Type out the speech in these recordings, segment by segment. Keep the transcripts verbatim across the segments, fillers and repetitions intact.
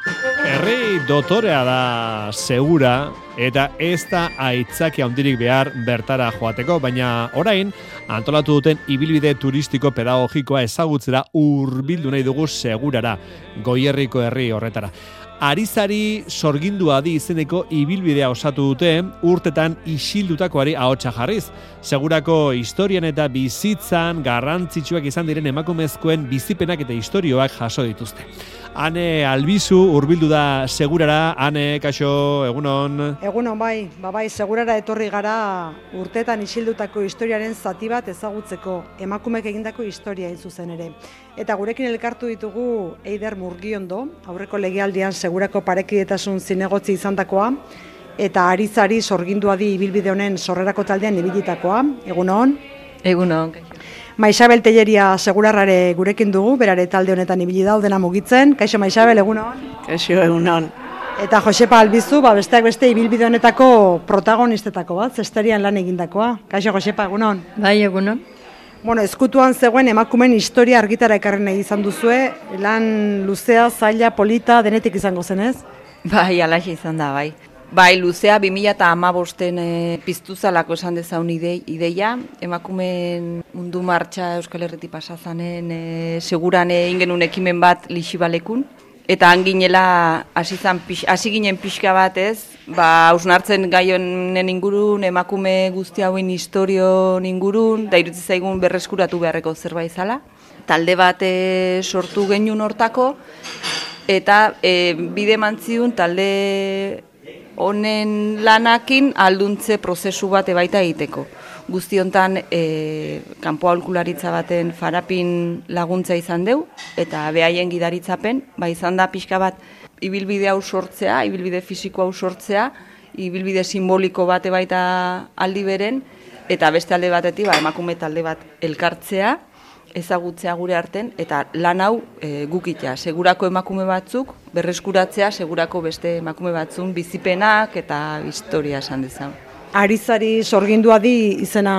Herri dotorea da segura eta ez da aitzaki handirik behar bertara joateko, baina orain antolatu duten ibilbide turistiko pedagogikoa ezagutzera hurbildu nahi dugu segurara, Goierriko herri horretara. Arizari sorgindua di izeneko ibilbidea osatu dute urtetan isildutakoari ahotsa jarriz. Segurako historian eta bizitzan garrantzitsuak izan diren emakumezkoen bizipenak eta istorioak jaso dituzte. Ane Albizu hurbildu da segurara. Ane, kaixo, egunon. Egunon bai, ba bai, segurara etorri gara urtetan isildutako historiaren zati bat ezagutzeko, emakumek egindako historia hain zuzen ere. Eta gurekin elkartu ditugu Eider Murgiondo, aurreko legealdian segurako parekidetasun zinegotzi izandakoa, eta Arizari sorgindua di ibilbide honen sorrerako taldean ibilitakoa. Egunon. Egunon. Maixabel Telleria segurarrare gurekin dugu, berare talde honetan ibili daudena mugitzen. Kaixo Maixabel, egunon. Kaixo, egunon. Eta Josepa Albizu, ba besteak beste ibilbide honetako protagonistetako bat, zesterian lan egindakoa. Kaixo Josepa, egunon. Bai, egunon. Bueno, ezkutuan zegoen emakumen historia argitara ekarri nahi izan duzue, lan luzea, zaila, polita, denetik izango zen ez? Bai, alaxe izan da, bai. Bai, luzea bi mila hamabosten e, piztu zalako esan dezaun ide, ideia, emakumen mundu martxa Euskal Herritik pasazanen e, seguran egin genuen ekimen bat Lixibalekun, eta hanginela hasi zan hasi ginen pixka bat ez, ba hausnartzen gai honen ingurun, emakume guzti hauen historion ingurun, da irutzi zaigun berreskuratu beharreko zerbait zala. Talde bat e, sortu genuen hortako, eta e, bide mantziun talde honen lanakin alduntze prozesu bat ebaita egiteko. Guzti hontan e, kanpo aholkularitza baten farapin laguntza izan deu, eta behaien gidaritzapen, ba izan da pixka bat ibilbide hau sortzea, ibilbide fisiko hau sortzea, ibilbide simboliko bat ebaita aldi beren, eta beste alde batetik ba, emakume talde bat elkartzea, ezagutzea gure arten, eta lan hau e, gukitea. Segurako emakume batzuk, berreskuratzea, segurako beste emakume batzun bizipenak eta historia esan dezan. Arizari sorgindua di izena,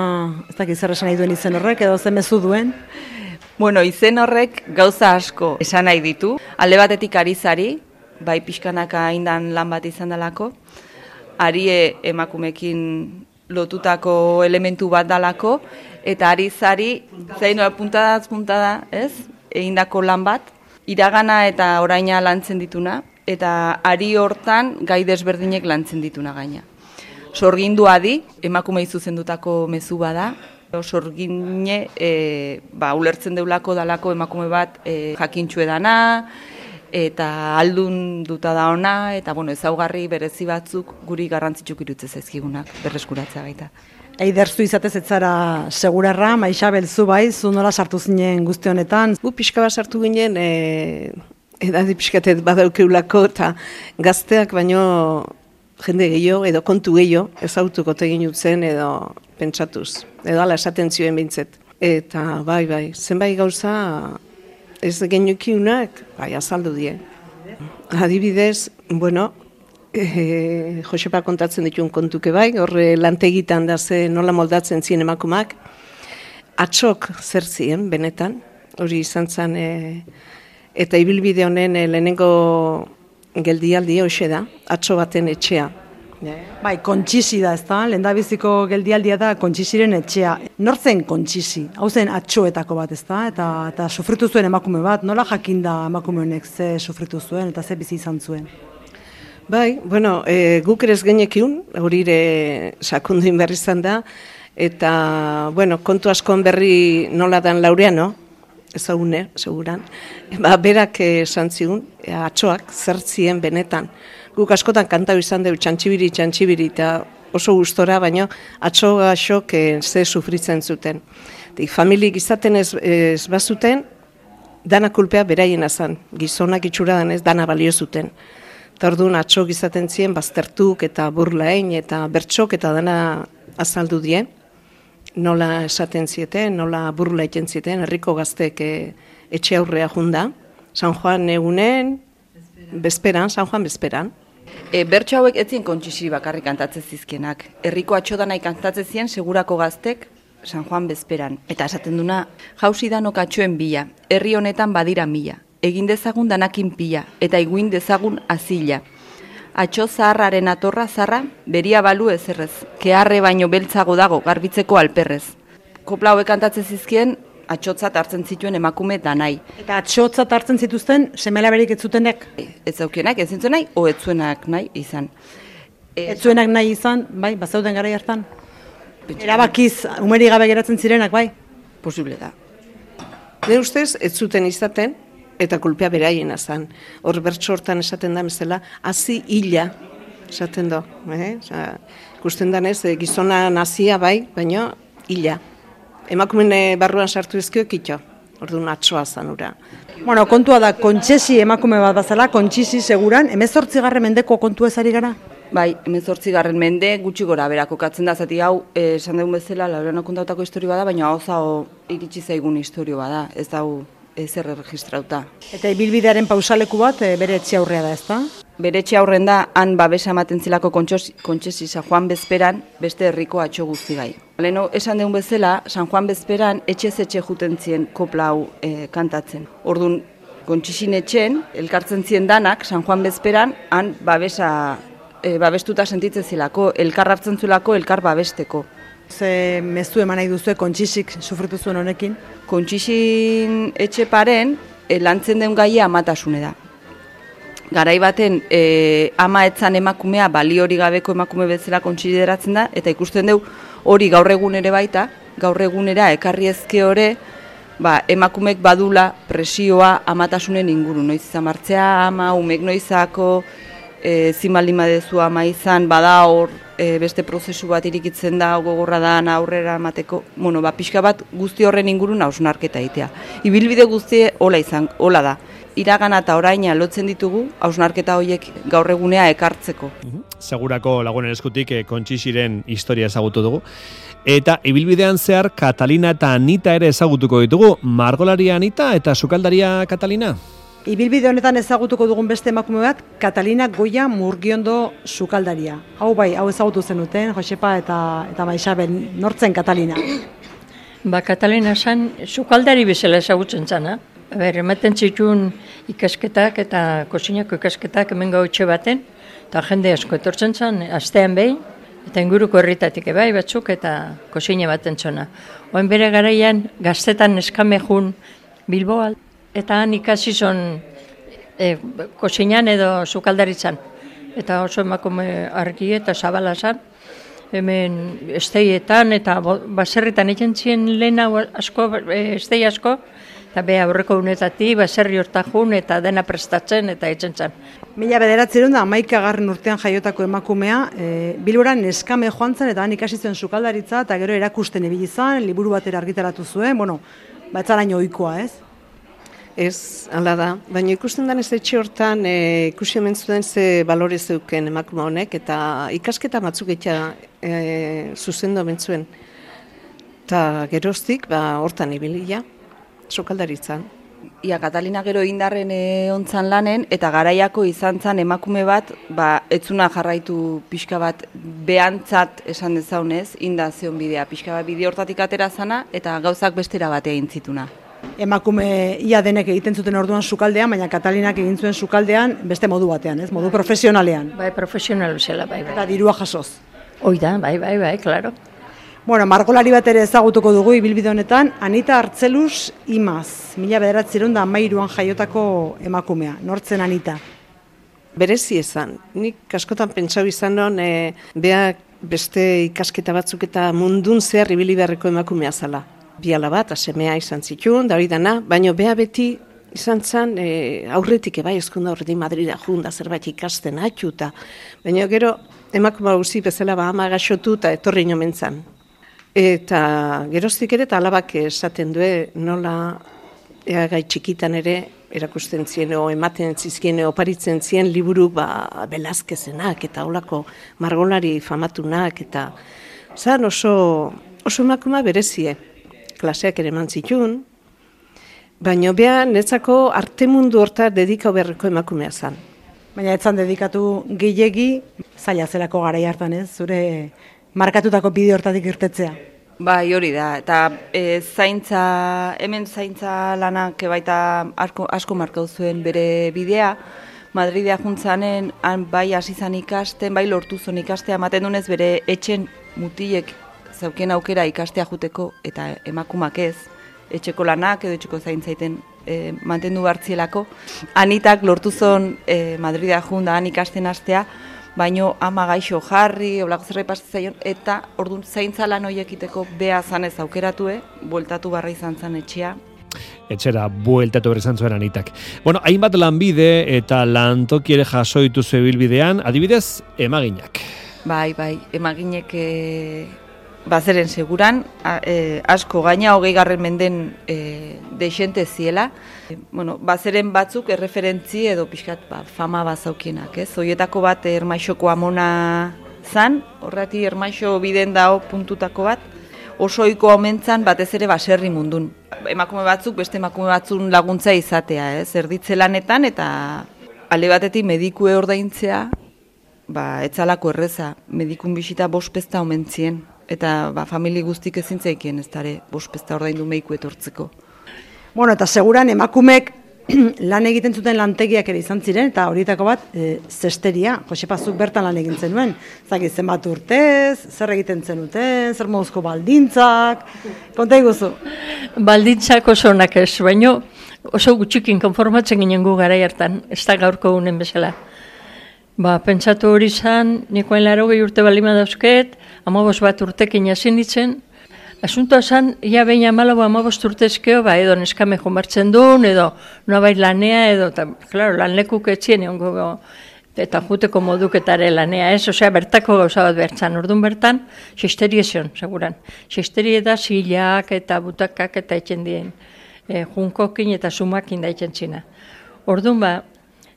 ez dakit zer esan nahi duen izen horrek, edo zen mezu duen? Bueno, izen horrek gauza asko esan nahi ditu. Alde batetik Arizari, bai pixkanaka indan lan bat izan dalako, Arie emakumekin lotutako elementu bat dalako, eta Arizari, zaino puntada puntada, ez? Egindako lan bat, iragana eta oraina lantzen dituna, eta ari hortan gai desberdinek lantzen dituna gaina. Sorgindua di, emakumei zuzendutako mezu bada, sorgine e, ba, ulertzen deulako dalako emakume bat e, jakintxu edana, eta aldun duta da ona, eta bueno, ezaugarri berezi batzuk guri garrantzitsuk irutzez ezkigunak, berreskuratzea baita. Eider, zu izatez ez zara segurarra, Maixabel zu bai, zu nola sartu zinen guzti honetan? Gu pixka bat sartu ginen, e, edadi pixkatet badaukeulako, eta gazteak baino jende gehiago, edo kontu gehiago, ezautuko tegin utzen, edo pentsatuz, edo ala esaten zioen bintzet. Eta bai, bai, zenbait gauza ez genukiunak, bai, azaldu die. Adibidez, bueno, E, Josepa kontatzen dituen kontuke bai, horre lantegitan da ze nola moldatzen zien emakumak, atxok zer zien, benetan, hori izan zen, e, eta ibilbide honen e, lehenengo geldialdia hoxe da, atxo baten etxea. Bai, kontxisi da, ez da, lehendabiziko geldialdia da kontxisiren etxea. Nortzen kontxisi, hau zen atxoetako bat, ez da, eta, eta sufritu zuen emakume bat, nola jakinda emakume honek ze sufritu zuen eta ze bizi izan zuen? Bai, bueno, e, guk ere ez genekiun, hori ere sakunduin berri izan da, eta, bueno, kontu askoan berri nola dan Laureano, ezagune, seguran, ba, berak esan zigun, e, atxoak zertzien benetan. Guk askotan kantau izan dugu txantxibiri, txantxibiri, eta oso gustora, baina atxo gaxok e, ze sufritzen zuten. Dik, familik izaten ez, ez bazuten, dana kulpea beraiena zen, gizonak itxura danez, dana balio zuten. Eta orduan atxok izaten ziren, baztertuk eta burlain eta bertxok eta dana azaldu die. Nola esaten zieten, nola burla egiten zieten, herriko gaztek e, etxe aurrea junda. San Juan egunen, bezperan, San Juan bezperan. E, bertso hauek etzien kontxisi bakarrik kantatzen zizkienak. Herriko atxodanai kantatzen zien segurako gaztek San Juan bezperan. Eta esaten duna, jauzi danok atxoen bila, herri honetan badira mila. egin dezagun danakin pila, eta iguin dezagun azila. Atxo zaharraren atorra zarra, beria balu ezerrez, keharre baino beltzago dago, garbitzeko alperrez. Kopla hauek kantatzen zizkien, atxotzat hartzen zituen emakume danai. Eta atxotzat hartzen zituzten, semelaberik ez zutenek? Ez zaukienak, ez zintzen nahi, o ez zuenak nahi izan. Ez zuenak nahi izan, bai, bazauden garai hartan? Erabakiz, umeri gabe geratzen zirenak, bai? Posible da. Nire ustez, ez zuten izaten, eta kulpea beraiena zen. Hor bertso hortan esaten da bezala, hazi hila, esaten do. Eh? Osa, ikusten danez, gizona nazia bai, baina hila. Emakumen barruan sartu ezkio kitxo, orduan atsoa zanura. Bueno, kontua da, kontxesi emakume bat bazala, kontxisi seguran, hemezortzigarren mendeko kontu ezari gara? Bai, hemezortzigarren mende gutxi gora bera kokatzen da, zati hau, eh, esan dugun bezala, Laureano kontatutako historio bada, baina hau zao iritsi zaigun historio bada, ez dau ezer erregistrauta. Eta ibilbidearen pausaleku bat e, bere etxe aurrea da, ezta? Bere etxe aurren da, han babesa ematen zilako kontxesi San Juan Bezperan, beste herriko atxo guztigai. Leno, esan dugun bezala, San Juan Bezperan etxez etxe juten zien kopla hau e, kantatzen. Orduan, kontxesin etxen, elkartzen zien danak, San Juan Bezperan, han babesa e, babestuta sentitzen zilako, elkar hartzen zulako, elkar babesteko. Ze mezu eman nahi duzue kontxisik sufritu zuen honekin? Kontxixin etxe paren, e, lantzen den gaia amatasune da. Garai baten e, ama etzan emakumea bali hori gabeko emakume bezala kontsideratzen da, eta ikusten dugu hori gaur egun ere baita, gaur egunera ekarri ezke hori, ba, emakumek badula presioa amatasunen inguru. Noiz izan martzea ama, umek noizako, e, zimalima dezu ama izan, bada hor, e, beste prozesu bat irikitzen da, gogorra da, aurrera emateko, bueno, ba, pixka bat guzti horren ingurun hausnarketa egitea. Ibilbide guztie hola izan, hola da. Iragana eta oraina lotzen ditugu, hausnarketa horiek gaur egunea ekartzeko. Segurako lagunen eskutik eh, kontxixiren historia ezagutu dugu. Eta ibilbidean zehar Katalina eta Anita ere ezagutuko ditugu. Margolaria Anita eta sukaldaria Katalina. Ibilbide honetan ezagutuko dugun beste emakume bat, Katalina Goia Murgiondo sukaldaria. Hau bai, hau ezagutu zenuten, Josepa eta, eta Maixabel, nortzen Katalina? Ba, Katalina zen, sukaldari bezala ezagutzen zana. Ber, ematen zituen ikasketak eta kozinako ikasketak hemen gautxe baten, eta jende asko etortzen zen, astean behin, eta inguruko herritatik ebai batzuk eta kozine baten zona. Oen bere garaian gaztetan eskamejun Bilboa, eta han ikasi zon e, kozinan edo sukaldaritzan. Eta oso emakume argi eta zabala zan, hemen esteietan eta baserritan egin zien lehen asko, estei asko, eta beha aurreko unetatik, baserri hortajun eta dena prestatzen eta etzen zen. Mila bederatziehun da hamaikagarren urtean jaiotako emakumea, e, Bilboran neskame joan zen eta han ikasi zuen sukaldaritza eta gero erakusten ibili izan, liburu batera argitaratu zuen, bueno, batzaraino ohikoa, ez? Ez, hala da, baina ikusten denez etxe hortan e, ikusi hemen zuen ze balore zeuken emakume honek eta ikasketa batzuk eta e, zuzendo bentzuen. Eta geroztik, ba, hortan ibilia. Sukaldaritzan. Ia, Katalina gero indarren e, ontzan lanen, eta garaiako izan zan emakume bat, ba, etzuna jarraitu pixka bat behantzat esan dezaunez, inda zeon bidea. Pixka bat bide hortatik atera zana, eta gauzak bestera batea intzituna. Emakume ia denek egiten zuten orduan sukaldean, baina Katalinak egin zuen sukaldean beste modu batean, ez? Modu profesionalean. Bai, profesional bezala, bai, bai. Eta dirua jasoz. Hoi da, bai, bai, bai, klaro. Bueno, margolari bat ere ezagutuko dugu ibilbide honetan, Anita Artzelus Imaz, mila bederatziehun eta hamairuan jaiotako emakumea. Nortzen Anita? Berezi ezan. Nik askotan pentsau izan non, e, beak beste ikasketa batzuk eta mundun zehar ibili beharreko emakumea zala. Biala bat, asemea izan zituen, da hori dana, baina bea beti izan zen e, aurretik ebai eskunda horretik Madrida junda zerbait ikasten atxuta. Baina gero emakume guzi bezala ba ama gaxotu eta etorri inomen zan. Eta geroztik ere eta alabak esaten due nola eagai txikitan ere erakusten zien o ematen zizkien oparitzen zien liburu ba, Velázquezenak eta holako margolari famatunak eta zan oso, oso emakuma berezie. Klaseak ere eman zituen, baina beha netzako arte mundu horta dedikau beharreko emakumea zan. Baina etzan dedikatu gehiegi, zaila zelako garai hartan ez, zure markatutako bide hortatik irtetzea. Bai, hori da, eta e, zaintza, hemen zaintza lanak baita asko, asko markau zuen bere bidea, Madridea juntzanen, han bai hasi zan ikasten, bai lortu zuen ikastea, ematen dunez bere etxen mutilek zauken aukera ikastea juteko, eta emakumak ez, etxeko lanak edo etxeko zaintzaiten e, mantendu bartzielako. Anitak lortu zuen e, Madridea junta han ikasten hastea, baino ama gaixo jarri, olako zerbait pasatzen zaion, eta orduan zaintza lan horiekiteko beha zanez aukeratue, bueltatu barra izan zan etxea. Etxera bueltatu behar izan zuen Anitak. Bueno, hainbat lanbide eta lantoki ere jasoitu zebilbidean, adibidez, emaginak. Bai, bai, emaginek e, bazeren seguran, a, e, asko gaina hogei garren menden e, deixente ziela. E, bueno, bazeren batzuk erreferentzi edo pixkat ba, fama bazaukienak, ez? Hoietako bat Ermaixoko amona zan, horreti Ermaixo biden dao puntutako bat, oso ohikoa omentzan batez ere baserri mundun. Emakume batzuk beste emakume batzun laguntza izatea, ez? Erditze lanetan eta alde batetik medikue ordaintzea, ba, etzalako erreza, medikun bisita bospezta omentzien, eta ba, famili guztik ezintzaikien ez dara bospezta ordaindu mediku etortzeko. Bueno, eta seguran emakumek lan egiten zuten lantegiak ere izan ziren, eta horietako bat, e, zesteria, Josepazuk bertan lan egin zenuen. Zaki, zenbat urtez, zer egiten zenuten, zer moduzko baldintzak, konta iguzu. Baldintzak oso onak ez, baino oso gutxikin konformatzen ginen gu garai hartan, ez da gaurko unen bezala. Ba, pentsatu hori zan, nikoen laro gehi urte balima dauzket, amabos bat urtekin jasin ditzen. Asuntoa zan, ia behin amalago amabost urtezkeo, ba, edo neskame jomartzen duen, edo noa lanea, edo, eta, klaro, lanlekuk etxien egon gogo, eta juteko moduketare lanea, ez? Osea, bertako gauza bat bertzan, orduan bertan, xesterie zion, seguran. Xesterie da zilak eta butakak eta etxen dien, e, junkokin eta sumakin da etxen txina. Orduan ba,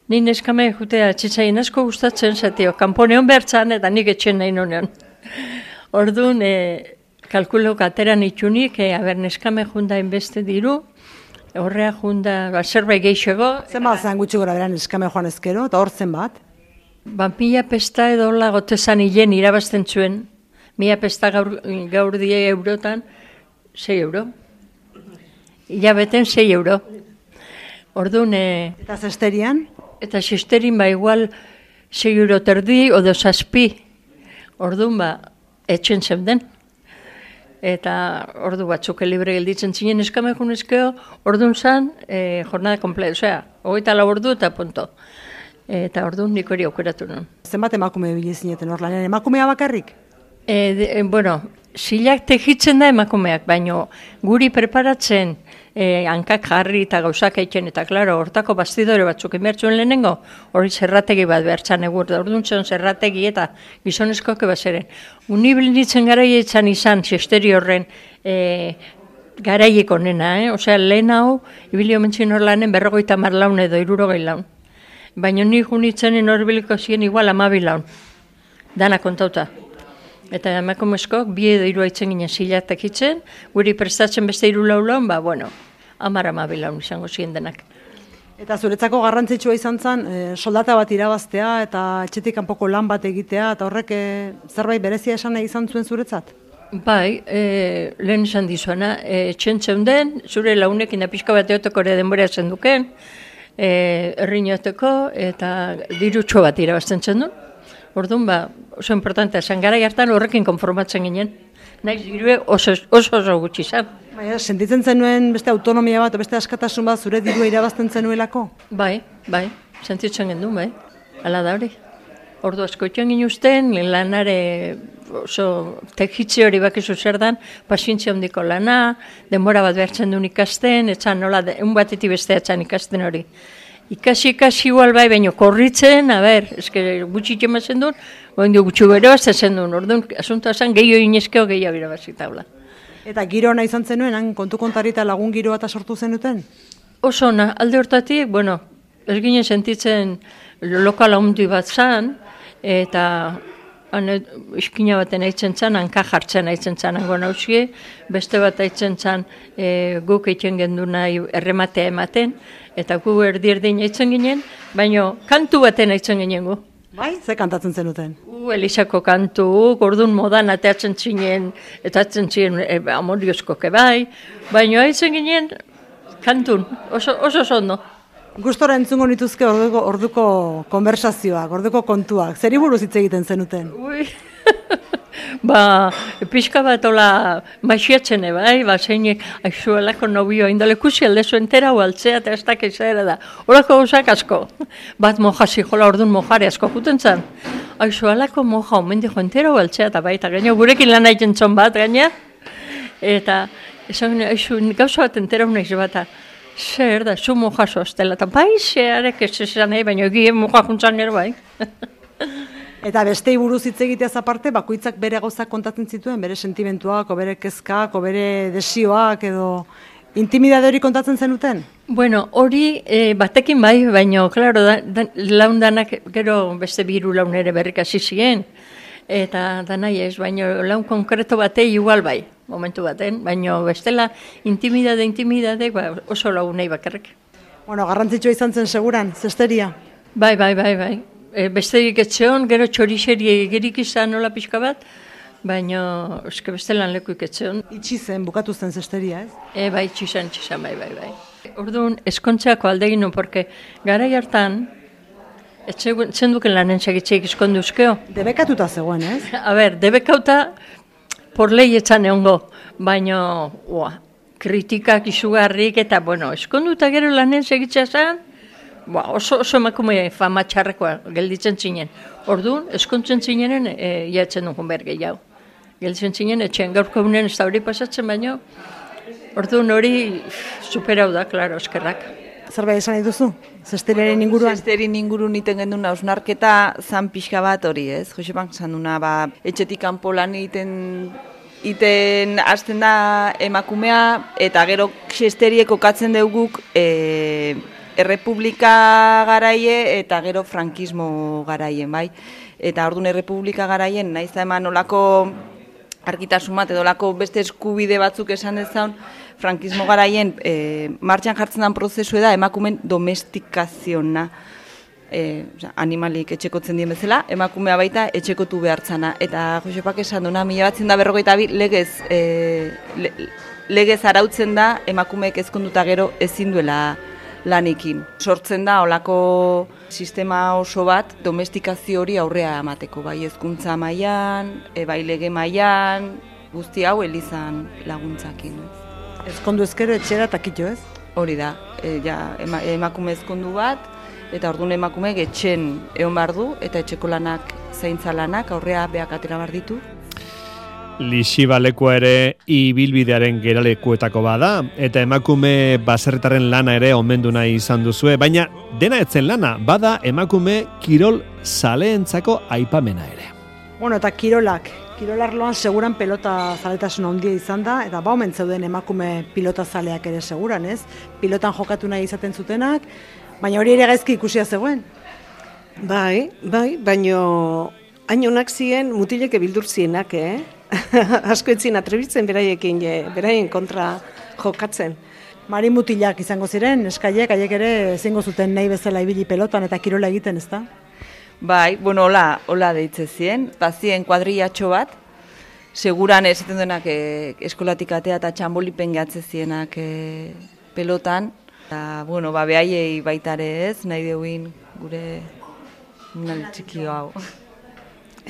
ni neskame jutea txitzaien asko gustatzen zatio, kanponeon bertzan eta nik etxen nahi nonean. Orduan, e, kalkulo kateran itxunik, e, aber neskame junda inbeste diru, horrea junda, ba, zerbait geixego. Zen bat zen gutxi gora beran neskame joan ezkero, eta hor zen bat? Ba, mila pesta edo hola gotezan hilen irabazten zuen, mila pesta gaur, gaur die eurotan, sei euro. Ilabeten sei euro. Orduan, e, Eta zesterian? eta zesterin ba igual sei euro terdi, odo zazpi. Orduan ba, etxen zeuden. Eta ordu batzuk libre gelditzen zinen eskame junezkeo, orduan zan, e, jornada komplet, osea, hogeita lau ordu eta punto. Eta orduan nik hori aukeratu nuen. Zenbat emakume bile zineten hor lanean, emakumea bakarrik? E, de, e, bueno, zilak tejitzen da emakumeak, baino guri preparatzen e, hankak jarri eta gauzak eitzen, eta klaro, hortako bastidore batzuk inbertzuen lehenengo, hori zerrategi bat behartzan egur, da orduan zen zerrategi eta gizonezkoak ebazeren. Unibilitzen garaia izan izan, zesteri horren e, garaiek onena, eh? Osea, lehen hau, ibili omentzin hor lanen berrogeita mar laun edo irurogei laun. Baina ni junitzenen hor biliko ziren igual amabi laun, dana kontauta. Eta emakumezkoak bi edo hiru aitzen ginen zilatak itzen, guri prestatzen beste hiru lau laun, ba, bueno, amar amabi laun izango ziren denak. Eta zuretzako garrantzitsua izan zen, e, soldata bat irabaztea eta etxetik kanpoko lan bat egitea, eta horrek e, zerbait berezia esan nahi izan zuen zuretzat? Bai, e, lehen esan dizuana, e, txentzen den, zure launekin da pixka bat eoteko ere denbora zen duken, e, errinoteko eta dirutxo bat irabazten zen duen. Orduan, ba, oso importantea zen, gara hartan horrekin konformatzen ginen. Naiz dirue oso oso, oso gutxi zen. Baina, sentitzen zenuen beste autonomia bat, beste askatasun bat zure dirua irabazten zenuelako? Bai, bai, sentitzen gendun, bai, ala da hori. Ordu asko itxen ginuzten, lanare oso tekitze hori bakizu zer dan, pazientzia handiko lana, denbora bat behartzen duen ikasten, etxan nola, un batetik beste etxan ikasten hori. Ikasi, ikasi igual bai, baino korritzen, a ber, eske gutxi txemazen duen, goen du gutxi bero azten duen, orduan, asuntoa zen, gehiago inezkeo gehiago irabazita hola. Eta giro ona izan zenuen, han kontu kontari eta lagun giroa eta sortu zenuten? Oso ona, alde hortatik, bueno, ez ginen sentitzen lokal handi bat zan, eta ane, iskina baten aitzen zan, hanka jartzen aitzen zan hango nausie, beste bat aitzen zan e, guk eitzen gendu nahi errematea ematen, eta gu erdi erdin aitzen ginen, baina kantu baten aitzen ginen gu. Bai, ze kantatzen zenuten? U, Elisako kantu, gordun modan ateatzen zinen, eta atzen zinen e, amoriozkoke bai, baina haitzen ginen kantun, oso, oso zondo. Gustora entzungo nituzke orduko, orduko konversazioak, orduko kontuak. Zeri buruz hitz egiten zenuten? Ui, ba, pixka bat ola maixiatzen bai, ba, zeinek aizuelako nobio indolekusi aldezu entera hualtzea eta ez dakiz ere da. Horako gauzak asko, bat mojasi jola ordun mojare asko juten zan. Aizuelako moja omen dijo entera hualtzea eta baita gaina gurekin lan haiten zon bat gaina. Eta esan aizu gauza bat entera unaiz bata. Zer da, zu moja sostela, eta bai, zearek ez esan nahi, baina egien moja juntzan nero bai. Eta bestei buruz hitz egiteaz aparte, bakoitzak bere gauzak kontatzen zituen, bere sentimentuak, o bere kezkak, o bere desioak, edo intimidade hori kontatzen zenuten? Bueno, hori e, batekin bai, baina, klaro, da, da, laundanak gero beste biru laun ere berrik hasi ziren, eta da nahi ez, baina laun konkreto batei igual bai, momentu baten, baina bestela intimidade, intimidade, ba, oso lagunei bakarrik. Bueno, garrantzitsua izan zen seguran, zesteria? Bai, bai, bai, bai. E, besterik etxeon, gero txorixeri egerik izan nola pixka bat, baina eske bestelan lekuik etxeon. Itxi zen, bukatu zen zesteria, ez? E, bai, itxizan, itxizan, bai, bai, bai. Orduan, eskontzeako aldegin nu, porque garai hartan, etxe zenduken lanen segitzeik eskonduzkeo. Debekatuta zegoen, ez? A ber, debekauta por lei etzan egongo, baina, ua, kritikak izugarrik eta, bueno, eskonduta gero lanen segitzea zen, ba, oso, oso emakume fama txarrekoa gelditzen zinen. Orduan, eskontzen zinenen, e, jatzen dugun behar gehiago. Gelditzen zinen, etxean gaurko unen ez da hori pasatzen, baina, orduan hori superau da, klaro, eskerrak. Zerbait esan nahi duzu? Zesteriaren inguruan? Zesterin ingurun iten gendun hausnarketa zan pixka bat hori, ez? Josepak zan duna, ba, etxetik kanpo lan egiten iten hasten da emakumea, eta gero zesteriek okatzen deuguk e, errepublika garaie eta gero frankismo garaien, bai? Eta orduan errepublika garaien, nahiz da eman olako argitasun bat edo olako beste eskubide batzuk esan dezaun, frankismo garaien e, martxan jartzen den prozesu da emakumen domestikaziona. E, oza, animalik etxekotzen dien bezala, emakumea baita etxekotu behartzana. Eta Josepak esan duna, mila batzen da berrogeita bi, legez, e, le, legez arautzen da emakumeek ezkonduta gero ezin duela lanikin. Sortzen da olako sistema oso bat domestikazio hori aurrea emateko, bai hezkuntza mailan, e, bai lege mailan, guzti hau elizan laguntzakin. Ezkondu ezkero etxera eta kitxo, ez? Hori da, e, ja, ema, emakume ezkondu bat, eta orduan emakumeek etxen egon behar du, eta etxeko lanak, zaintza lanak, aurrea beak atera behar ditu. Lixibalekua ere ibilbidearen geralekuetako bada, eta emakume baserritaren lana ere omendu nahi izan duzue, baina dena etzen lana, bada emakume kirol zaleentzako aipamena ere. Bueno, eta kirolak, kirolarloan seguran pelota zaletasun handia izan da, eta ba omen zeuden emakume pilota zaleak ere seguran, ez? Pilotan jokatu nahi izaten zutenak, baina hori ere gaizki ikusia zegoen. Bai, bai, baino hainonak ziren mutileke bildur zienak, eh? Asko etzin atrebitzen beraiekin, beraien kontra jokatzen. Mari mutilak izango ziren, eskaiek, haiek ere ezingo zuten nahi bezala ibili pelotan eta kirola egiten, ezta? Bai, bueno, hola, hola deitze zien, bazien kuadrillatxo bat, seguran ez ziten duenak e, eskolatik atea eta txambolipen gehatze zienak e, pelotan. Eta, bueno, ba, behaiei baitare ez, nahi deuin gure nal txikio hau.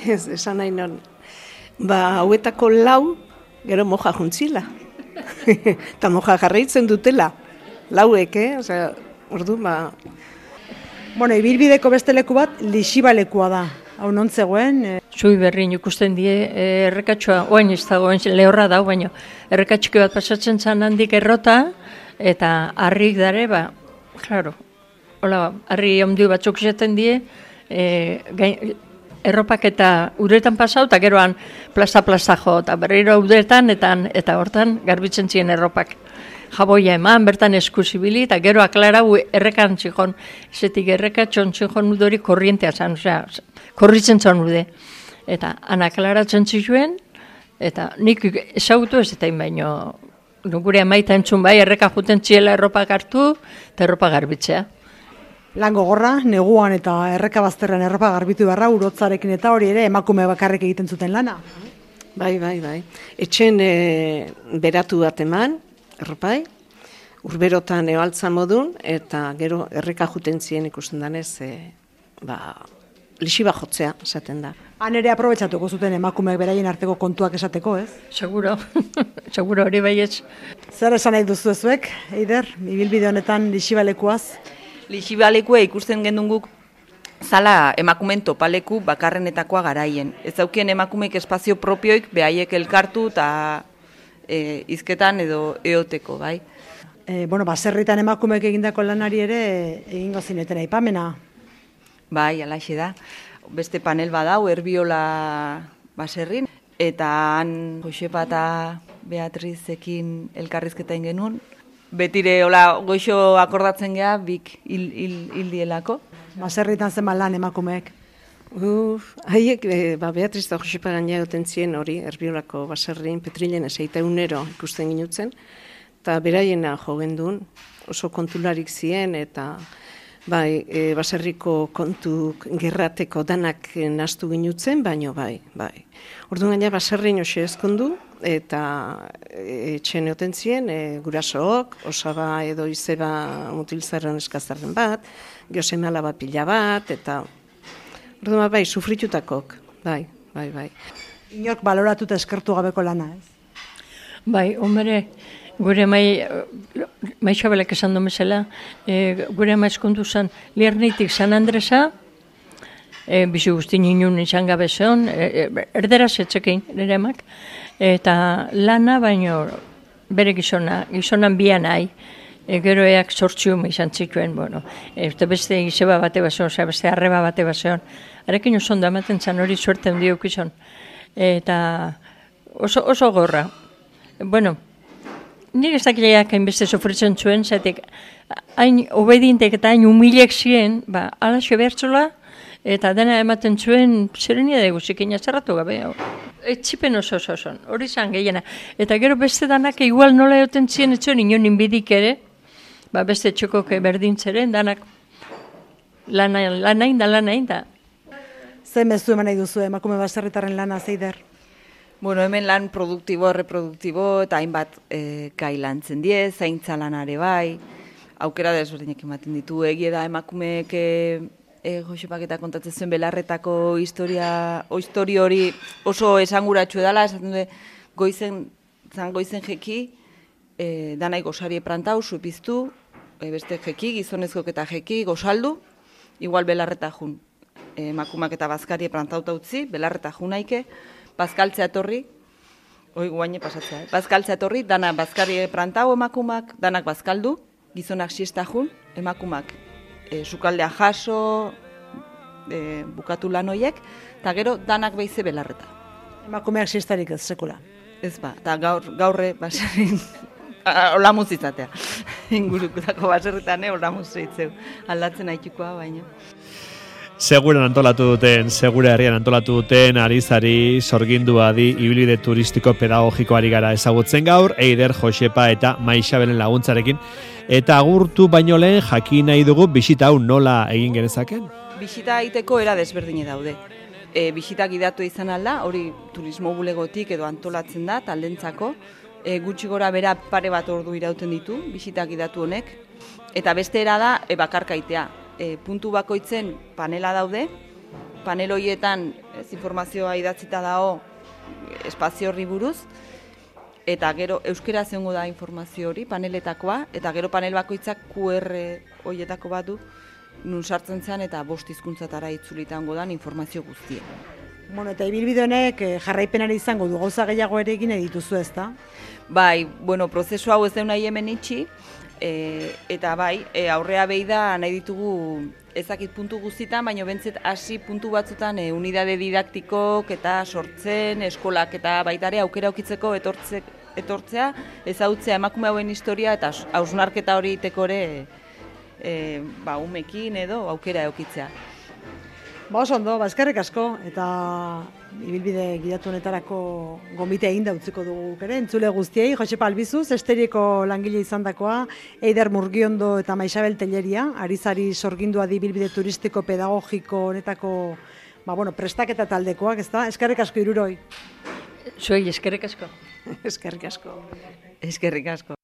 Ez, esan nahi non. Ba, hauetako lau, gero moja juntzila. Eta moja jarraitzen dutela. Lauek, eh? Osea, ordu, ba... Bueno, ibilbideko beste leku bat, Lixibalekua da. Hau non zegoen? E... Zui berrin ikusten die, e, errekatxoa, oain ez dago, lehorra dau, baina errekatxike bat pasatzen zan handik errota, eta harrik dare, ba, klaro, hola, harri ondio batzuk izaten die, e, gain, erropak eta uretan pasau, eta geroan plaza-plaza jo, eta berriro uretan, eta, eta hortan garbitzen ziren erropak. Jaboia eman, bertan eskusibili, eta gero aklarau errekan txikon, zetik errekatxon txikon udori korrientea zan, osea, korritzen zan ude. Eta anaklaratzen zituen, eta nik ezagutu ez eta baino, gure amaita entzun bai, erreka juten txiela erropak hartu, eta erropa garbitzea. Lan gogorra, neguan eta erreka bazterren erropa garbitu beharra, urotzarekin eta hori ere emakume bakarrik egiten zuten lana. Bai, bai, bai. Etxen e, beratu bat eman, erropai, urberotan eoaltza modun, eta gero erreka juten ziren ikusten danez, e, ba, lixiba jotzea, esaten da. Han ere aprobetxatuko zuten emakumeek beraien arteko kontuak esateko, ez? Seguro, seguro hori baietz. Zer esan nahi duzu ezuek, Eider, ibilbide honetan lixibalekuaz? Lixibalekua ikusten gendun guk zala emakumen topaleku bakarrenetakoa garaien. Ez daukien emakumeek espazio propioik behaiek elkartu eta e, izketan edo eoteko, bai? E, bueno, baserritan emakumeek egindako lanari ere egingo zineten aipamena. Bai, alaxe da. Beste panel badau, Erbiola baserrin, eta han Josepa eta Beatrizekin elkarrizketa genuen. Betire, hola, goixo akordatzen geha, bik hil, hil, hil dielako. Baserritan zenbat lan emakumeek. Uf, haiek, e, ba, Beatriz eta Josepa gaina goten ziren hori, Erbiolako baserrin, Petrilen eseita unero ikusten ginutzen, eta beraiena jo gendun, oso kontularik zien, eta bai, e, baserriko kontuk gerrateko danak nastu ginutzen, baino bai, bai. Orduan gaina baserrin hoxe ezkondu, eta etxen eoten ziren, e, gurasook, osaba edo izeba mutilzaren eskazarren bat, geoseme alaba pila bat, eta orduan bai, sufritutakok, bai, bai, bai. Inork baloratuta eskertu gabeko lana, ez? Bai, hombre, gure mai, mai xabelak esan domezela, e, gure mai eskondu zen, Liernitik San Andresa, e, bizi guztin inun izan gabe zeon, e, erderaz etzekein, nire emak, eta lana baino bere gizona, gizonan bian nahi, e, gero eak sortzium izan zituen, bueno, e, beste izeba bate bazeon, oza, beste arreba bate bazeon, arekin oso ondo ematen zan hori suerte handi eukizon, eta oso, oso gorra. Bueno, nire ez dakileak hainbeste sofritzen zuen, zatek, hain obedientek eta hain humilek ziren, ba, alaxo behartzola, eta dena ematen zuen, zerenia da guzikin azarratu gabe, etxipen oso oso oso, hori zan gehiena. Eta gero beste danak igual nola egoten ziren, etzuen inon inbidik ere, ba, beste txokok berdintzeren, danak lanain da lanain da. Zer mezu eman nahi duzu emakume baserritarren lana, Eider? Bueno, hemen lan produktibo, reproduktibo, eta hainbat e, gai lantzen die, zaintza lanare bai, aukera desberdinak ematen ditu, egie da emakumeek e, e, Josepak eta kontatzen zuen belarretako historia, o historio hori oso esanguratsu edala, esaten du, goizen, zan goizen jeki, e, danai gozari prantau, supiztu, e, beste jeki, gizonezkok eta jeki, gozaldu, igual belarreta jun, e, emakumak eta bazkari prantauta utzi, belarreta junaike, bazkaltzea etorri, hoi guaine pasatzea, eh? Bazkaltzea etorri, dana bazkari prantau emakumak, danak bazkaldu, gizonak siesta jun, emakumak e, sukaldea jaso, e, bukatu lan hoiek, eta gero danak behize belarreta. Emakumeak siestarik ez, sekula. Ez ba, eta gaur, gaurre baserrin, olamuz izatea. Ingurukutako baserritan, eh, olamuz itzeu, aldatzen haitikoa baina. Seguran antolatu duten, segura herrian antolatu duten, arizari, sorgindua di, ibilbide turistiko pedagogikoari gara ezagutzen gaur, Eider, Josepa eta Maixabelen laguntzarekin. Eta agurtu baino lehen jakin nahi dugu bisita hau nola egin genezaken? Bisita egiteko era desberdine daude. E, bisita gidatu izan alda, hori turismo bulegotik edo antolatzen da, taldentzako. E, gutxi gora bera pare bat ordu irauten ditu, bisita gidatu honek. Eta beste era da, e, bakarkaitea. E, puntu bakoitzen panela daude, panel horietan ez, informazioa idatzita dago espazio horri buruz, eta gero euskera zeongo da informazio hori, paneletakoa, eta gero panel bakoitzak Q R horietako bat du, nun sartzen zen eta bost hizkuntzatara itzulitango dan informazio guztia. Bueno, eta ibilbide honek jarraipenari izango du, gauza gehiago ere egin dituzu, ezta? Bai, bueno, prozesu hau ez deun nahi hemen itxi, E, eta bai, e, aurrea behi da nahi ditugu ezakit puntu guztietan, baina bentzet hasi puntu batzutan e, unidade didaktikok eta sortzen, eskolak eta baitare aukera aukitzeko etortze, etortzea, ezagutzea emakume hauen historia eta hausnarketa hori iteko ere e, ba, umekin edo aukera aukitzea. Ba, oso ondo, ba, eskerrik asko, eta ibilbide gidatu honetarako gomite egin da utziko dugu ere, entzule guztiei, Josepa Albizuz, Esteriko langile izandakoa, Eider Murgiondo eta Maixabel Telleria, arizari sorgindua di ibilbide turistiko pedagogiko honetako, ba, bueno, prestaketa taldekoak, ezta? Eskerrik asko hiruroi. Zuei, eskerrik asko. Eskerrik asko. Eskerrik asko.